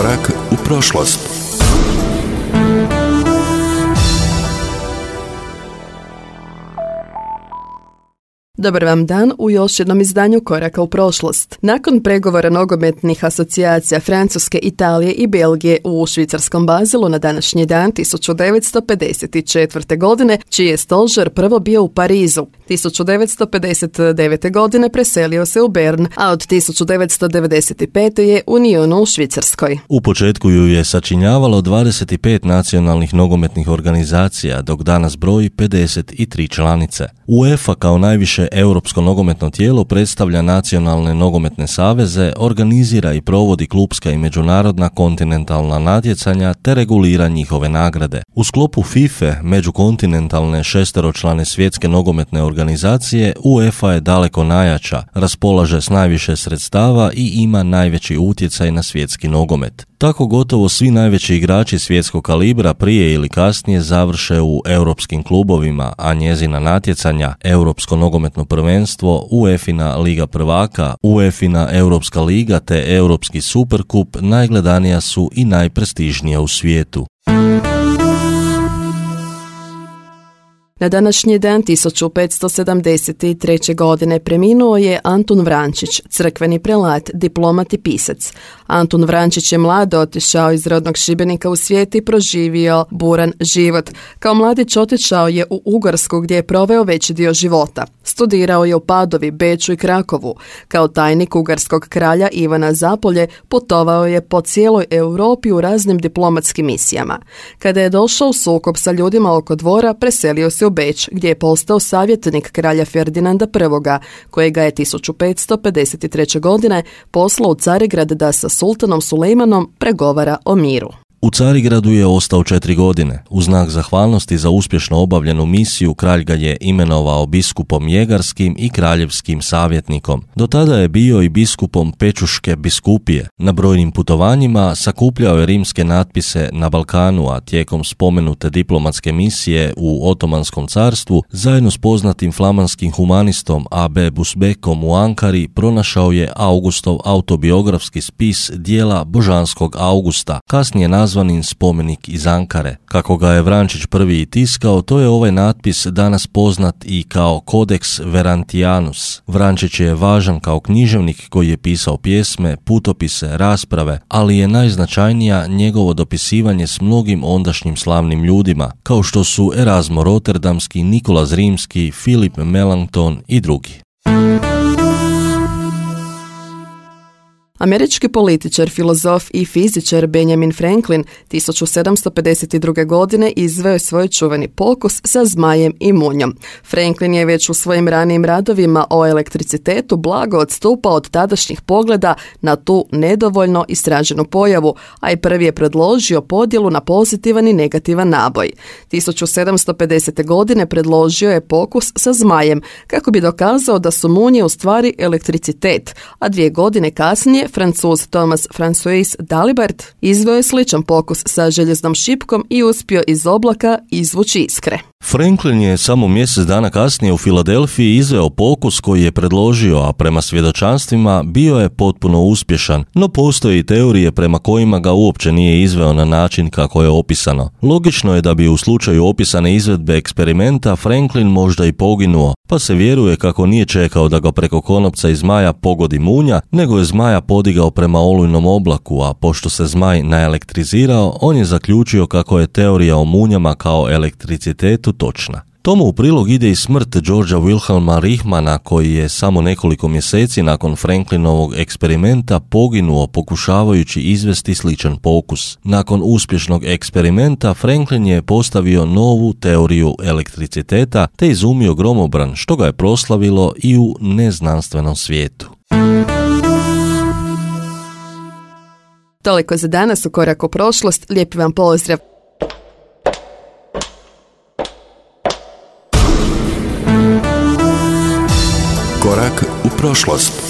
Korak u prošlost. Dobar vam dan u još jednom izdanju Koraka u prošlost. Nakon pregovora nogometnih asocijacija Francuske, Italije i Belgije u švicarskom Bazilu na današnji dan 1954. godine, čiji je stožer prvo bio u Parizu. 1959. godine preselio se u Bern, a od 1995. je u Nyonu u Švicarskoj. U početku ju je sačinjavalo 25 nacionalnih nogometnih organizacija, dok danas broji 53 članice. UEFA kao najviše europsko nogometno tijelo predstavlja nacionalne nogometne saveze, organizira i provodi klupska i međunarodna kontinentalna natjecanja te regulira njihove nagrade. U sklopu FIFA, međukontinentalne šesteročlane svjetske nogometne organizacije, UEFA je daleko najjača, raspolaže s najviše sredstava i ima najveći utjecaj na svjetski nogomet. Tako gotovo svi najveći igrači svjetskog kalibra prije ili kasnije završe u europskim klubovima, a njezina natjecanja, Europsko nogometno prvenstvo, UEFA-ina Liga prvaka, UEFA-ina Europska liga te Europski superkup najgledanija su i najprestižnija u svijetu. Na današnji dan 1573. godine preminuo je Antun Vrančić, crkveni prelat, diplomat i pisac. Antun Vrančić je mlado otišao iz rodnog Šibenika u svijet i proživio buran život. Kao mladić otišao je u Ugarsku gdje je proveo veći dio života. Studirao je u Padovi, Beču i Krakovu. Kao tajnik ugarskog kralja Ivana Zapolje putovao je po cijeloj Europi u raznim diplomatskim misijama. Kada je došao u sukob sa ljudima oko dvora, preselio se u Beč, gdje je postao savjetnik kralja Ferdinanda I, kojega je 1553. godine poslao u Carigrad da sa sultanom Sulejmanom pregovara o miru. U Carigradu je ostao 4 godine. U znak zahvalnosti za uspješno obavljenu misiju kralj ga je imenovao biskupom Jegarskim i kraljevskim savjetnikom. Do tada je bio i biskupom Pečuške biskupije. Na brojnim putovanjima sakupljao je rimske natpise na Balkanu, a tijekom spomenute diplomatske misije u Otomanskom carstvu zajedno s poznatim flamanskim humanistom A.B. Busbekom u Ankari pronašao je Augustov autobiografski spis dijela Božanskog Augusta, kasnije nazvanin spomenik iz Ankare. Kako ga je Vrančić prvi i tiskao, to je ovaj natpis danas poznat i kao Codex Verantianus. Vrančić je važan kao književnik koji je pisao pjesme, putopise, rasprave, ali je najznačajnija njegovo dopisivanje s mnogim ondašnjim slavnim ljudima, kao što su Erasmo Rotterdamski, Nikola Zrimski, Philip Melanchthon i drugi. Američki političar, filozof i fizičar Benjamin Franklin 1752. godine izveo je svoj čuveni pokus sa zmajem i munjom. Franklin je već u svojim ranijim radovima o elektricitetu blago odstupao od tadašnjih pogleda na tu nedovoljno istraženu pojavu, a i prvi je predložio podjelu na pozitivan i negativan naboj. 1750. godine predložio je pokus sa zmajem kako bi dokazao da su munje u stvari elektricitet, a 2 godine kasnije Francuz Thomas François Dalibert izveo je sličan pokus sa željeznom šipkom i uspio iz oblaka izvući iskre. Franklin je samo mjesec dana kasnije u Filadelfiji izveo pokus koji je predložio, a prema svjedočanstvima bio je potpuno uspješan, no postoje i teorije prema kojima ga uopće nije izveo na način kako je opisano. Logično je da bi u slučaju opisane izvedbe eksperimenta Franklin možda i poginuo, pa se vjeruje kako nije čekao da ga preko konopca i zmaja pogodi munja, nego je zmaja podigao prema olujnom oblaku, a pošto se zmaj naelektrizirao, on je zaključio kako je teorija o munjama kao elektricitetu točna. Tomu u prilog ide i smrt Georgea Wilhelma Richmana, koji je samo nekoliko mjeseci nakon Franklinovog eksperimenta poginuo pokušavajući izvesti sličan pokus. Nakon uspješnog eksperimenta Franklin je postavio novu teoriju elektriciteta te izumio gromobran, što ga je proslavilo i u neznanstvenom svijetu. Toliko za danas u Koraku prošlost. Lijepi vam pozdrav. Korak u prošlost.